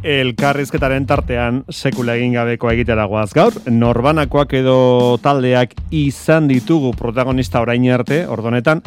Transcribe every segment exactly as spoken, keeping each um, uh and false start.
Elkarrizketaren tartean sekula egin gabekoa egitera goaz gaur, norbanakoak edo taldeak izan ditugu protagonista orain arte, ordonetan,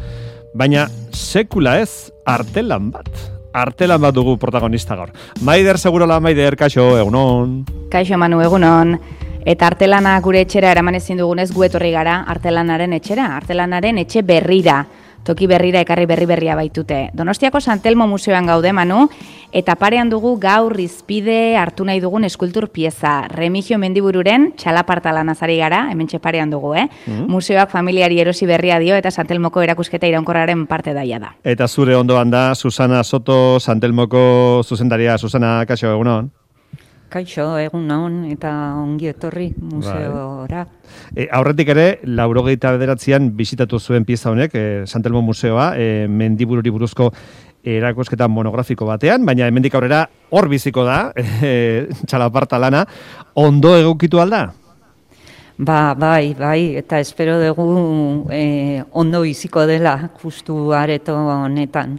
baina sekula ez artelan bat. Artelan bat dugu protagonista gaur. Maider Segurola, Maider, kaixo, egunon. Kaixo, Manu, egunon. Eta artelana gure etxera eraman ezin dugunez gu etorri gara artelanaren etxera, artelanaren etxe berrira. Toki berrira ekarri berri berria baitute. Donostiako San Telmo Museoan gaude, Manu, eta parean dugu gaur izpide hartu nahi dugun eskultur pieza. Remigio Mendibururen txalaparta lanazari gara, hemen parean dugu, eh? Mm-hmm. Museoak familiari erosi berria dio eta San Telmoko erakusketa iraunkorraren parte daia da. Eta zure ondoan da Susana Soto, San Telmoko zuzendaria. Susana, kaixo, egunon. Kaixo, egunon eta ongi etorri museora. E, aurretik ere, laurogeita bederatzean bisitatu zuen pieza honek, e, San Telmo Museoa, e, Mendibururi buruzko erakusketa monografiko batean, baina hemendik aurrera hor biziko da, e, txalaparta lana, ondo egokitu alda? Ba, bai, bai, eta espero dugu e, ondo biziko dela justu areto honetan.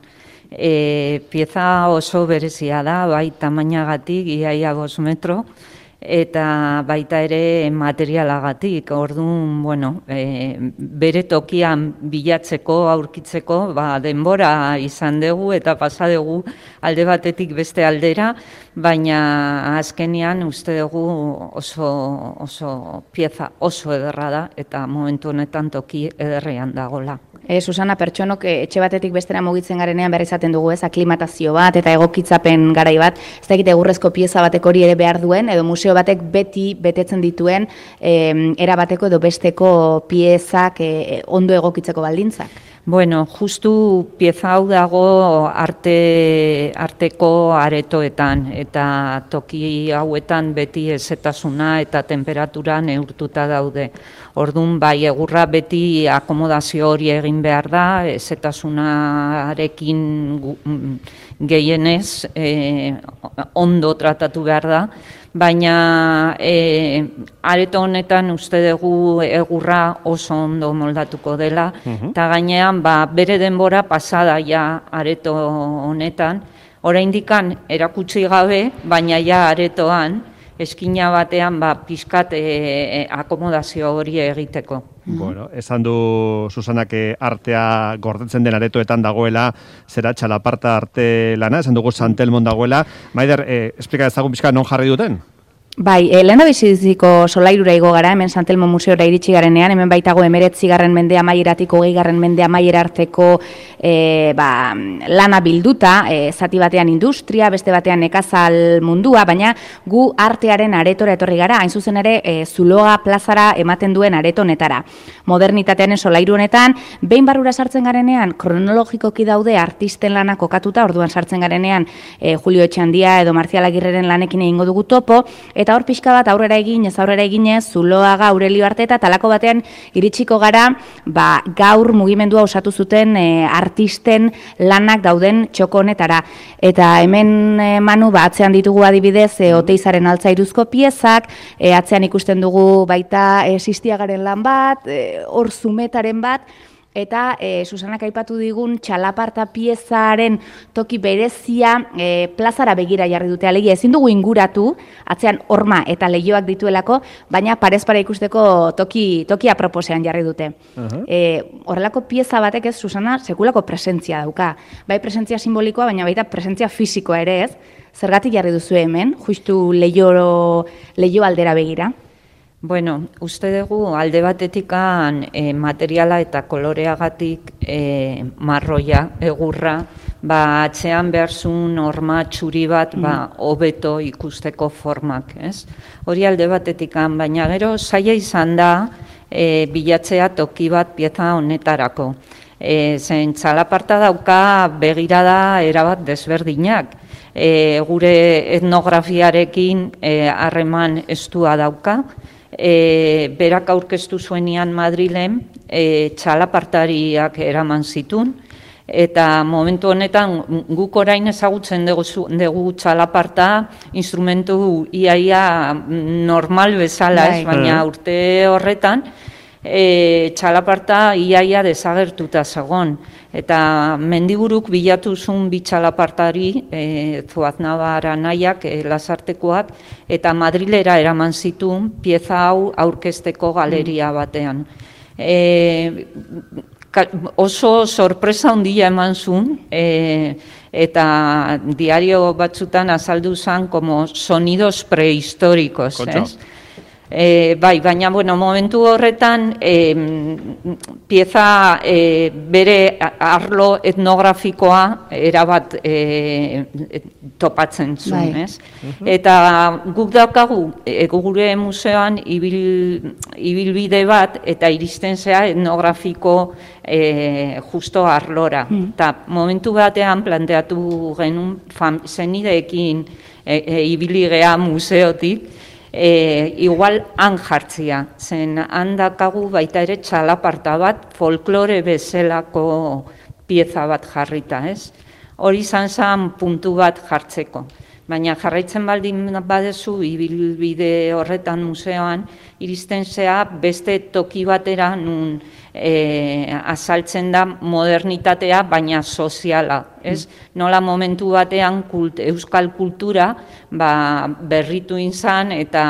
E, pieza oso berezia da, bai tamainagatik, iaia bost metro, eta baita ere materialagatik. Orduan, bueno, e, bere tokian bilatzeko, aurkitzeko, ba, denbora izan dugu eta pasa dugu alde batetik beste aldera, baina azkenean uste dugu oso, oso pieza oso ederra da eta momentu honetan toki ederrean dagola. E, Susana, pertsonok etxe batetik bestera mugitzen garenean behar izaten dugu, ez, aklimatazio bat eta egokitzapen garai bat, ez da egite egurrezko pieza batek hori ere behar duen, edo museo batek beti betetzen dituen e, era bateko edo besteko piezak e, ondo egokitzeko baldintzak. Bueno, justu pieza hau dago arte, arteko aretoetan eta toki hauetan beti ezetasuna eta temperatura neurtuta daude. Orduan, bai, egurra beti akomodazio hori egin behar da, ezetasunarekin gehienez e, ondo tratatu behar da, baina e, areto honetan uste dugu egurra oso ondo moldatuko dela, eta uh-huh. gainean ba, bere denbora pasada ja areto honetan, oraindikan erakutsi gabe, baina ja aretoan, eskina batean ba, pixkat e, akomodazio hori egiteko. Bueno, esan du Susanak artea gordetzen den aretoetan dagoela, zera txalaparta arte lana, esan dugu San Telmon dagoela. Maider, eh, esplika ezagun pixka non jarri duten? Bai, e, lehen da biziziko solairura igo gara, hemen San Telmo Museora iritsi garenean, hemen baitago emeretzigarren mende amaieratik hogeigarren mende amaiera arteko e, ba, lana bilduta, e, zati batean industria, beste batean nekazal mundua, baina gu artearen aretora etorri gara, hain zuzen ere e, Zuloaga plazara ematen duen aretonetara. Modernitatearen solairu honetan, behin barrura sartzen garenean, kronologikoki daude artisten lanak kokatuta, orduan sartzen garenean e, Julio Etxandia edo Marcial Agirreren lanekin egingo dugu topo, eta hor pixka bat aurrera egin, ez aurrera eginez, Zuloaga, Aurelio arte eta talako batean iritsiko gara, ba, gaur mugimendua osatu zuten e, artisten lanak dauden txoko honetara. Eta hemen e, Manu, ba, atzean ditugu adibidez, e, Oteizaren altzairuzko piezak, e, atzean ikusten dugu baita e, Sistiagaren lan bat, e, hor zumetaren bat, eta e, Susanak aipatu digun txalaparta piezaren toki berezia e, plazara begira jarri dute, alegia ezin dugu inguratu, atzean horma eta leihoak dituelako, baina parez para ikusteko toki, toki aproposean jarri dute. Uh-huh. E, horrelako pieza batek ez, Susana, sekulako presentzia dauka. Bai presentzia simbolikoa, baina baita presentzia fisikoa ere ez. Zergatik jarri duzu hemen, justu leiho, leiho aldera begira? Bueno, uste dugu alde batetikan e, materiala eta koloreagatik e, marroia, egurra, ba, atzean beharzun horma txuri bat ba, hobeto ikusteko formak, ez? Hori alde batetikan, baina gero zaila izan da e, bilatzea toki bat pieza honetarako. E, zen txalaparta dauka begirada erabat desberdinak. E, gure etnografiarekin harreman e, estua dauka, E, berak aurkeztu zuenian Madrilen e, txalapartariak eraman zitun, eta momentu honetan guk orain ezagutzen dugu, dugu txalaparta instrumentu iaia normal bezala, ez, baina urte horretan e, txalaparta iaia desagertuta zegon. Eta mendiburuk bilatu zuen bi txalapartari, e, Zuaznabar anaiak, e, Lasartekoak, eta Madrilera eraman zituen pieza hau aurkezteko galeria batean. E, oso sorpresa handia eman zuen, e, eta diario batzutan azaldu zen como sonidos prehistóricos, ez? E, bai, baina, bueno, momentu horretan e, pieza e, bere arlo etnografikoa erabat e, topatzen zuen, bai. Ez? Uh-huh. Eta guk daukagu e, gure museoan ibil, ibilbide bat eta iristen zea etnografiko e, justo arlora. Uh-huh. Eta momentu batean planteatu genuen zenideekin e, e, ibiligea museotik, E, igual han jartzia, zen handakagu baita ere txalaparta bat, folklore bezalako pieza bat jarrita, ez? Hori izan zen puntu bat jartzeko. Baina jarraitzen baldin badezu, ibilbide horretan museoan, iristen zea beste toki batera nun e, azaltzen da modernitatea, baina soziala. Ez? Nola momentu batean kult, euskal kultura ba, berritu izan eta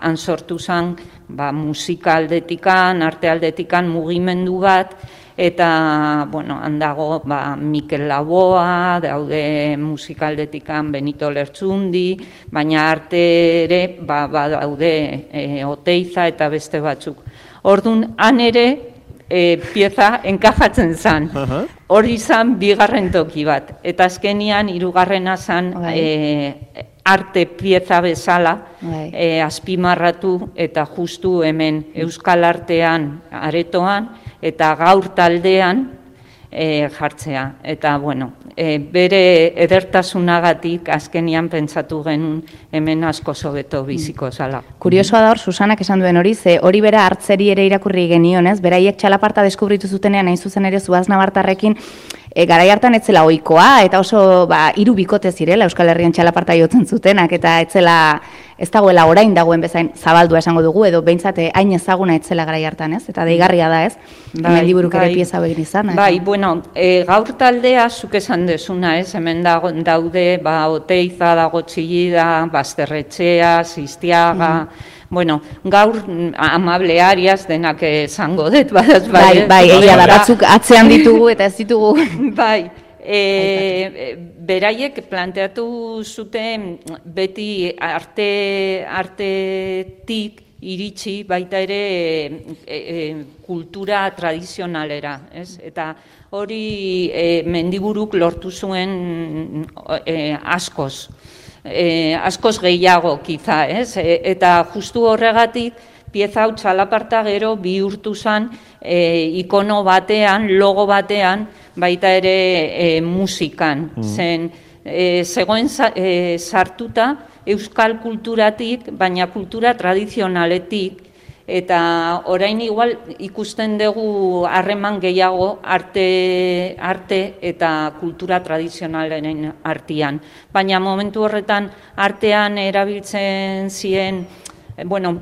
han sortu zen ba, musika aldetikan, arte aldetikan mugimendu bat, eta, bueno, handago ba, Mikel Laboa, daude musikaldetikan Benito Lertzundi, baina arte ere ba, ba, daude e, Oteiza eta beste batzuk. Orduan, han ere e, pieza enkajatzen zen. Uh-huh. Hori zen bigarren toki bat. Eta azkenian, hirugarrena zen e, arte pieza bezala e, azpimarratu eta justu hemen euskal artean aretoan, eta gaur taldean e, jartzea. Eta, bueno, e, bere edertasunagatik azkenian pentsatu genuen hemen asko sobeto biziko zala. Kuriosoa da hor, Susanak esan duen hori, ze hori bera hartzeri ere irakurri genion, ez? Beraiek txalaparta deskubritu zutenean, hain zuzen ere Zuaznabartarrekin, E, garai hartan etzela ohikoa eta oso ba, hiru bikote zirela Euskal Herrian txalaparta jotzen zutenak, eta etzela ez dagoela orain dagoen bezain zabaldua esango dugu, edo behintzat hain ezaguna etzela garai hartan, ez? Eta deigarria da, ez? Bai, hemen liburuk ere pieza begin izan. Bai, bueno, e, gaur taldea zuk esan dezuna, ez? Hemen dago, daude, ba, Oteiza, dago Txillida, Basterretxea, Zistiaga, mm. Bueno, gaur amable Arias denak esango dut, badaz, bai. Bai, bai, egia da, batzuk atzean ditugu eta ez ditugu. Bai, e, beraiek planteatu zuten beti arte, artetik iritsi baita ere e, e, kultura tradizionalera, ez? Eta hori e, Mendiburuk lortu zuen e, askoz. Eh, askoz gehiago, kiza, ez? E, eta justu horregatik, pieza hau txalaparta gero bihurtu zen e, ikono batean, logo batean, baita ere e, musikan. Mm. Zen, e, zegoen e, sartuta euskal kulturatik, baina kultura tradizionaletik, eta orain igual ikusten dugu harreman gehiago arte, arte eta kultura tradizionalen artean. Baina momentu horretan artean erabiltzen ziren, bueno,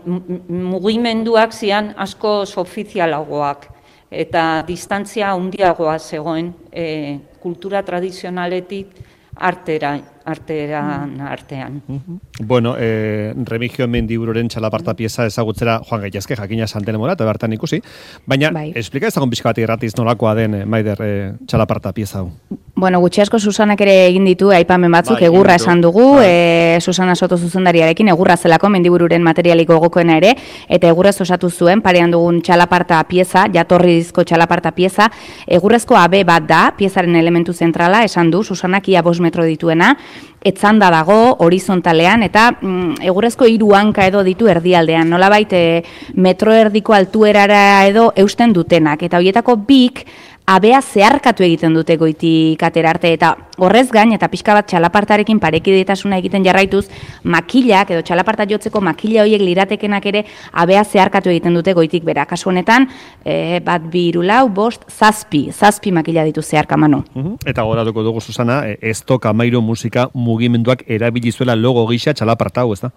mugimenduak zian asko ofizialagoak eta distantzia handiagoa zegoen e, kultura tradizionaletik artera, arteran artean. Uh-huh. Bueno, eh, Remigio Mendibururen txalaparta pieza ezagutzera joan gaitezke, jakina Santelemora eta bertan ikusi, baina bai. Esplika ezagun pixka bat irratiz nolakoa den, eh, Maider, eh, txalaparta pieza hau. Bueno, gutxi asko Susanak ere egin ditu, aipamen batzuk, bai, egurra esan dugu, e, Susana Soto zuzendariarekin, egurra zelako Mendibururen materialiko gogokoena ere, eta egurrez osatu zuen, parean dugun txalaparta pieza, jatorrizko txalaparta pieza, egurrezko abe bat da, piezaren elementu zentrala, esan du, Susanak ia bost metro dituena, etzanda dago, horizontalean, eta mm, egurrezko hiru hanka edo ditu erdialdean, nolabait e, metro erdiko altuerara edo eusten dutenak, eta horietako bik, abea zeharkatu egiten dute goitik atera arte, eta horrez gain, eta pixka bat txalapartarekin parekidetasuna egiten jarraituz, makilak, edo txalaparta jotzeko makila horiek liratekenak ere, abea zeharkatu egiten dute goitik bera. Kasu honetan, e, bat bi hiru lau, bost, zazpi, zazpi makila ditu zeharka manu. Uh-huh. Eta goratuko dugu, Susana, ez toka Amairo musika mugimenduak erabilizuela logo gisa txalaparta hau, ez da?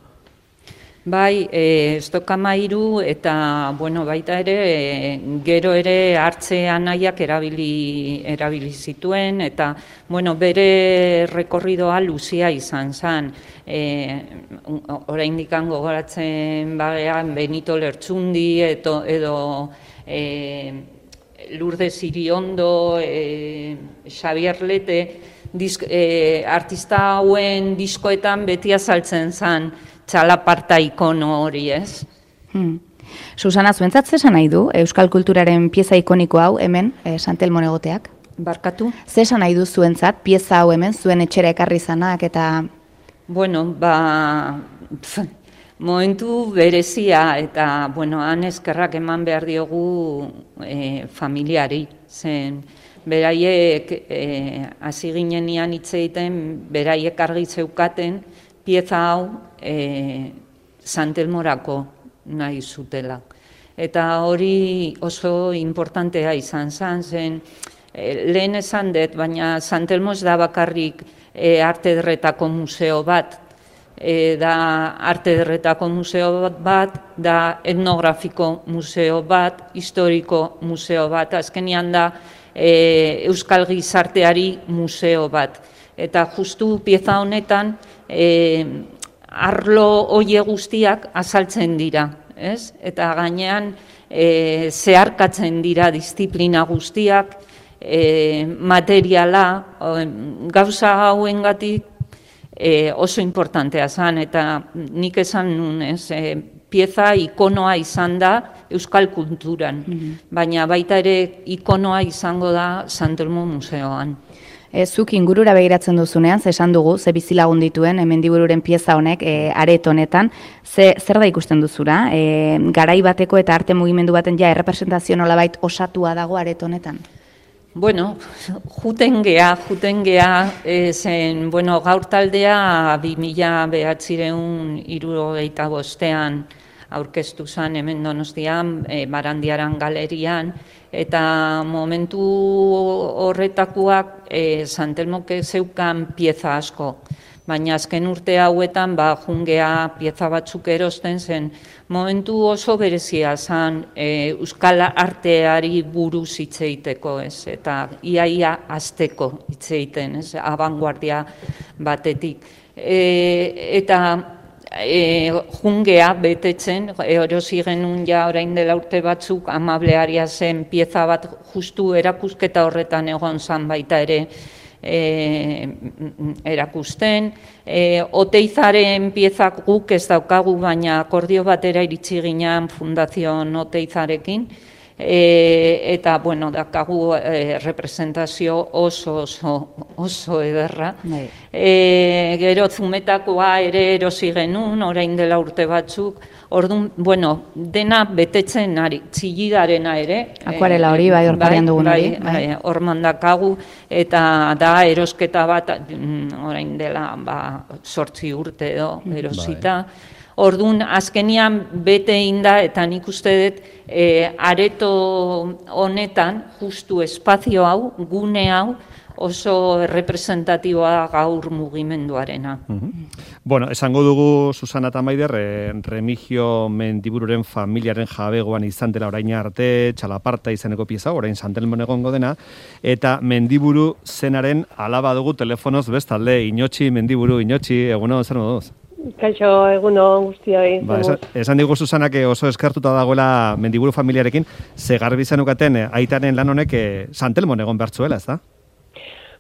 Bai, e, estokamairu eta, bueno, baita ere, e, gero ere hartze anaiak erabili, erabili zituen, eta, bueno, bere rekorridoa luzia izan zen. E, oraindik gogoratzen bagean Benito Lertxundi, eto, edo e, Lourdes Iriondo, e, Xabier Lete, disk, e, artista hauen diskoetan beti azaltzen zen, txalaparta ikono hori, ez? Hmm. Susana, zuentzat zesan nahi du euskal kulturaren pieza ikoniko hau hemen, eh, Santelmon egoteak? Barkatu? Zesan nahi du zuentzat pieza hau hemen, zuen etxera ekarri zanak eta... Bueno, ba... Pf, momentu berezia eta, bueno, han eskerrak eman behar diogu eh, familiari, zen... Beraiek, hasi eh, ginenian hitz egiten, beraiek argi zeukaten, pieza hau e, Santelmorako nahi zutela. Eta hori oso importantea izan zen, zen e, lehen esan dut, baina Santelmo ez da bakarrik e, arte ederretako museo bat, e, da arte ederretako museo bat, da etnografiko museo bat, historiko museo bat, azkenian da e, Euskal Gizarteari museo bat. Eta justu pieza honetan, E, arlo hoie guztiak azaltzen dira, ez? Eta gainean e, zeharkatzen dira disiplina guztiak, e, materiala, o, gauza hauengatik e, oso importantea zen, eta nik esan nun, ez? E, pieza ikonoa izan da euskal kulturan, mm-hmm. baina baita ere ikonoa izango da Santelmo museoan. E, zuk ingurura begiratzen duzunean, ze esan dugu, ze bizilagun dituen, Mendibururen pieza honek, e, aret honetan, ze, zer da ikusten duzura? E, garai bateko eta arte mugimendu baten ja errepresentazio nolabait osatua dago aret honetan? Bueno, juten gea, juten gea, e, zen, bueno, gaur taldea bi mila bederatziehun hirurogeita bostean aurkeztu zen hemen Donostian, e, Barandiaran galerian, eta momentu horretakoak e, Santelmok zeukan pieza asko. Baina azken urte hauetan, ba, jungea pieza batzuk erosten zen, momentu oso berezia zen e, euskal arteari buruz hitz egiteko, ez? Eta iaia azteko hitz egiten, ez? Abanguardia batetik. E, eta E, jungea betetzen, erosi genuen ja orain dela urte batzuk, amablearia zen pieza bat justu erakusketa horretan egon zan baita ere e, erakusten. E, Oteizaren piezak guk ez daukagu, baina akordio batera iritsi ginean Fundazion Oteizarekin, e, eta, bueno, dakagu e, representazio oso oso oso ederra. E, gero Zumetakoa ere erosi genuen, orain dela urte batzuk, orduan, bueno, dena betetzen ari, txillidarena ere. Akuarela hori, bai, hor parean dugun hori. Bai, hor mandakagu, eta da erosketa bat, orain dela, ba, sortzi urte edo, erosita. Bai. Orduan, azkenian bete inda, eta nik uste dut, e, areto honetan, justu espazio hau, gune hau, oso representatiboa gaur mugimenduarena. Uh-huh. Bueno, esango dugu, Susana eta Maider, eh, Remigio Mendibururen familiaren jabegoan izan dela orain arte, txalaparta izeneko pieza, orain Santelmon egongo dena, eta Mendiburu zenaren alaba dugu telefonoz bestalde, Inotxi Mendiburu, Inotxi, eguno, zer moduz? Kaixo, eguno guztioi. Ba, esan, esan digu Susanak oso eskartuta dagoela Mendiburu familiarekin, ze garbi zenukaten aitaren lan honek Santelmon egon bertzuela, ez da?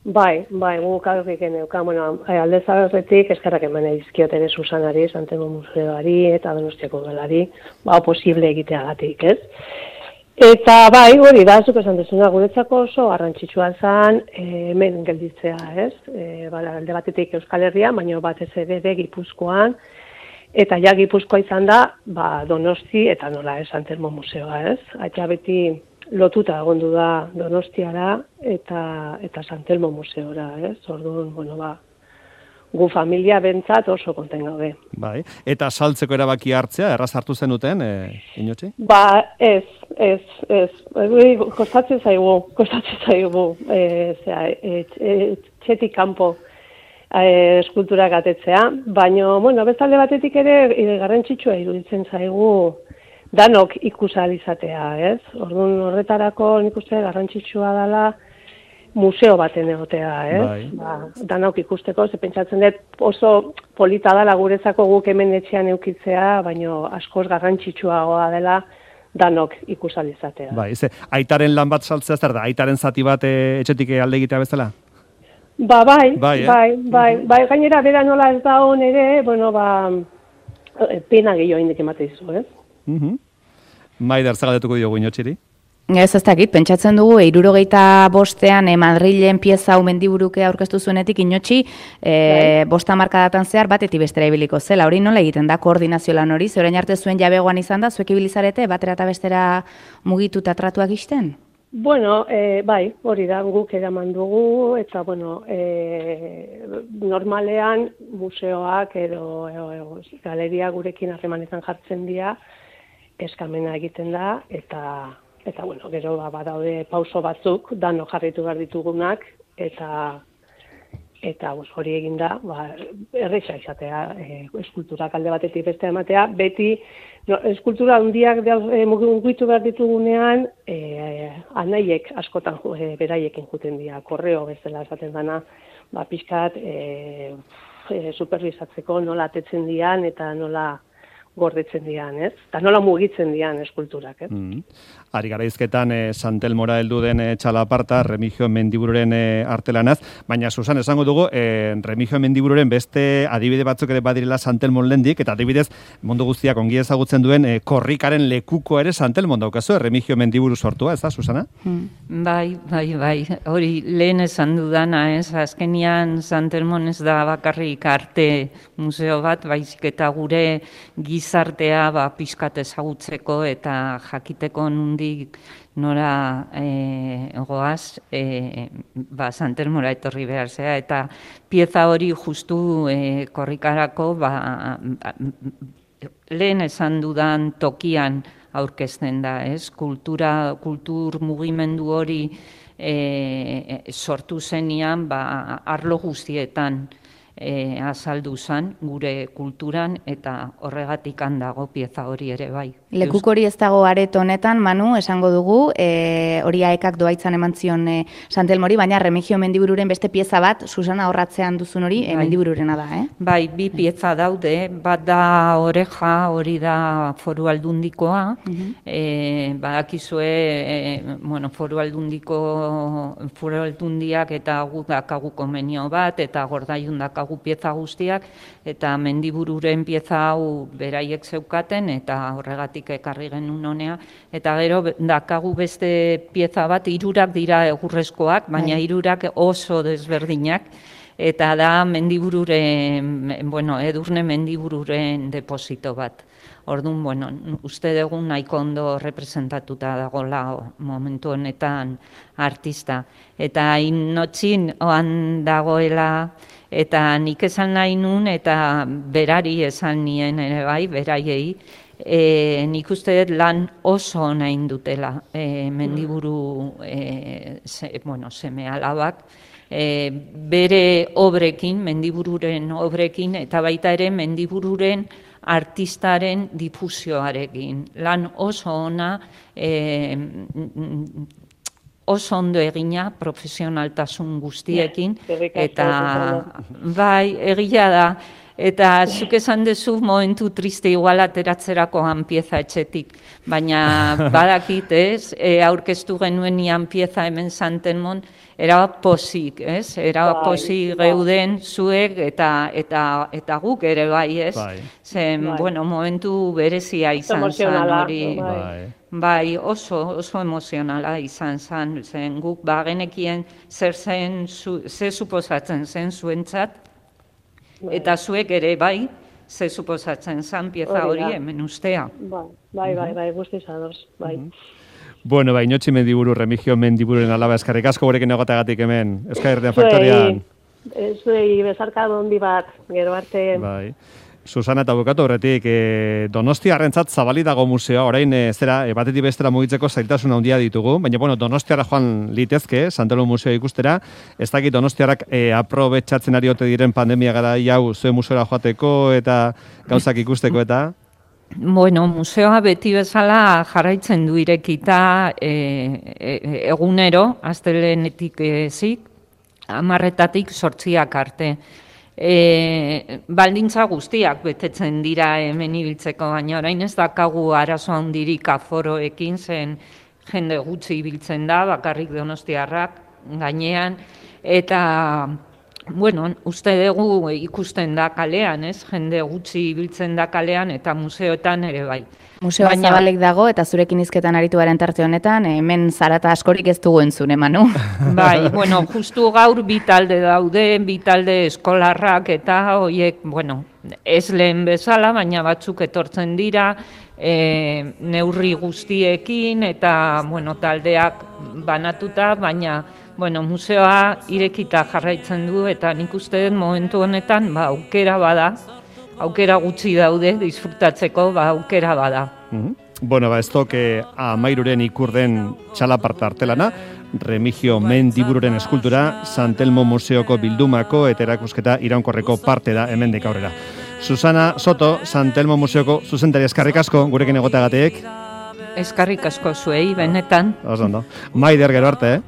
Bai, bai, guk aurrik geneuka, bueno, alde zaberretik eskerrak eman edizkiot ere Susanari, Santelmo museoari eta Donostiako udalari, ba, posible egiteagatik, ez? Eta bai, hori da, zuk esan dezuna, guretzako oso garrantzitsua zen e, hemen gelditzea, ez? E, ba, alde batetik Euskal Herria, baina batez ere Gipuzkoan, eta ja Gipuzkoa izan da, ba, Donosti eta nola, ez, Santelmo museoa, ez? Aita beti lotuta egondu da Donostiara eta eta Santelmo museora, ez? Orduan, bueno, ba, gu familia bentzat oso konten gaude. Bai, eta saltzeko erabaki hartzea, erraz hartu zenuten, eh, Inotxi? Ba, ez, ez, ez. Kostatzen zaigu, kostatzen zaigu, e, zera, e, e, txetik kanpo e, eskulturak atetzea, baina, bueno, bestalde batetik ere e, garrantzitsua iruditzen zaigu danok ikusalizatea, ez? Orduan horretarako nik uste garrantzitsua dela museo baten egotea, ez? Bai. Ba, danok ikusteko, ze pentsatzen dut oso polita dela guretzako guk hemen etxean eukitzea, baina askoz garrantzitsuagoa dela danok ikusalizatea. Bai, ze, aitaren lan bat saltzea, zer da, aitaren zati bat e, etxetik alde egitea bezala? Ba, bai, Bai, eh? bai, bai, bai, gainera bera nola ez da hon ere, bueno, ba, pena gehiago indik emate izu, ez? Mhm. Maider, zagaletuko diogu inotxiri? Ez ez dakit, pentsatzen dugu, eirurogeita bostean e, Madrilen pieza hau mendiburuke aurkeztu zuenetik inotxi, e, bosta markadatan zehar batetik bestera ibiliko zela. Hori nola egiten da koordinazio lan hori? Ze orain arte zuen jabegoan izan da, zuek ibilizarete, batera eta bestera mugitu eta tratuak isten? Bueno, e, bai, hori da, guk eraman dugu, eta, bueno, e, normalean museoak edo, edo, edo galeria gurekin harremanetan jartzen dira, eskamena egiten da, eta, eta bueno, gero ba, badaude pauso batzuk, dano jarritu behar ditugunak, eta, eta bos, hori egin da, ba, erresa izatea, e, eskulturak alde batetik beste ematea, beti, no, eskultura handiak e, mugitu behar ditugunean, e, anaiek askotan e, beraiekin juten dira, korreo bezala esaten dana, ba, pixkat e, e, superbizatzeko nola atetzen dian eta nola gordetzen dian, ez? Eta nola mugitzen dian eskulturak, ez? Mm. Ari garaizketan e, Santelmora heldu den e, txalaparta, Remigio Mendibururen e, artelanaz, baina Susan esango dugu, e, Remigio Mendibururen beste adibide batzuk ere badirela Santelmon lendik, eta adibidez mundu guztiak ongi ezagutzen duen e, korrikaren lekuko ere Santelmon daukazu, Remigio Mendiburu sortua, ez da, Susana? Mm. Bai, bai, bai, hori lehen esan dudana, ez? Azkenian Santelmon ez da bakarrik arte museo bat, baizik eta gure gizartea ba, pixkat ezagutzeko eta jakiteko nundik nora e, goaz, e, ba, Santelmora etorri behar zea, eta pieza hori justu e, korrikarako ba, ba, lehen esan dudan tokian aurkezten da, ez? Kultura, kultur mugimendu hori e, sortu zenian ba, arlo guztietan E, azaldu zan gure kulturan eta horregatik handago pieza hori ere bai. Lekuk hori ez dago areto honetan, Manu, esango dugu, e, hori aekak doaitzan eman zion e, Santelmori, baina Remigio Mendibururen beste pieza bat, Susana horratzean duzun hori, e, Mendibururena da, eh? Bai, bi pieza daude, bat da oreja, hori da Foru Aldundikoa, uh-huh. e, badakizue, e, bueno, Foru Aldundiko, Foru Aldundiak eta gu dakagu konbenio bat, eta Gordaiun dakagu pieza guztiak, eta Mendibururen pieza hau beraiek zeukaten, eta horregatik ekarri genuen honea, eta gero dakagu beste pieza bat, hirurak dira egurrezkoak, baina hirurak oso desberdinak, eta da Mendibururen, bueno, Edurne Mendibururen deposito bat. Orduan, bueno, uste dugu nahiko ondo representatuta dagoela momentu honetan artista. Eta inotxin oan dagoela, eta nik esan nahi nun, eta berari esan nien ere bai, beraiei, E, nik uste dut lan oso nahi dutela e, Mendiburu e, se, bueno, seme alabak e, bere obrekin, Mendibururen obrekin, eta baita ere Mendibururen artistaren difusioarekin. Lan oso ona, e, oso ondo egina, profesionaltasun guztiekin, eta bai, egia da. Eta zuk esan dezu momentu triste igual ateratzerakoan pieza etxetik, baina badakit, ez, e, aurkeztu genuen ian pieza hemen Santelmon, era posik, ez, era posik geuden zuek eta, eta, eta guk ere bai, ez, bai. Zen, bai. bueno, momentu berezia izan zen hori. Bai. Bai, oso, oso emozionala izan zen, zen guk bagenekien zer zen, zu, ze suposatzen zen zuentzat, eta zuek ere bai, ze suposatzen zan pieza hori hemen ustea. Bai, bai, bai, bai, guztiz ados, bai. Bueno, bai, Inotxi Mendiburu, Remigio Mendibururen alaba eskarrik asko gurekin egoteagatik hemen, Euskal Herrian Faktorian. Zuei bezarka dondi bat, gero arte. Bai. Susana eta bukatu horretik, e, Donostiarrentzat zabali dago museoa, orain e, zera, e, batetik bestera mugitzeko zailtasun handia ditugu, baina bueno, Donostiara joan litezke, Santelmo museoa ikustera, ez dakit Donostiarrak e, aprobetxatzen ari ote diren pandemia gara hau zuen museora joateko eta gauzak ikusteko eta... Bueno, museoa beti bezala jarraitzen du irekita e, e, egunero, astelehenetik ezik, hamarretatik sortziak arte. E, baldintza guztiak betetzen dira hemen ibiltzeko, baina orain ez dakagu arazo handirik aforoekin, zen jende gutxi ibiltzen da, bakarrik donostiarrak gainean, eta bueno, uste dugu ikusten da kalean, ez? Jende gutxi ibiltzen da kalean eta museoetan ere bai. Museoa Baina... zabalek dago eta zurekin hizketan aritu garen tarte honetan, hemen zarata askorik ez dugu entzun, Manu? Bai, bueno, justu gaur bi talde daude, bi talde eskolarrak eta hoiek, bueno, ez lehen bezala, baina batzuk etortzen dira, e, neurri guztiekin eta, bueno, taldeak banatuta, baina bueno, museoa irekita jarraitzen du eta nik uste dut momentu honetan ba, aukera bada, aukera gutxi daude, disfrutatzeko ba, aukera bada. Mm-hmm. Bueno, ba, ez toke amairuren ikurden txalaparta artelana, Remigio Mendibururen eskultura, Santelmo Museoko bildumako eta erakusketa iraunkorreko parte da hemendik aurrera. Susana Soto, Santelmo Museoko zuzendari eskarrik asko, gurekin egoteagatik. Eskarrik asko zuei, benetan. Oso ondo. Maider gero arte, eh?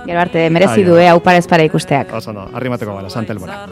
Gero arte, merezi du, hau parez para ikusteak. Oso no, arrimateko gara, Santelmora.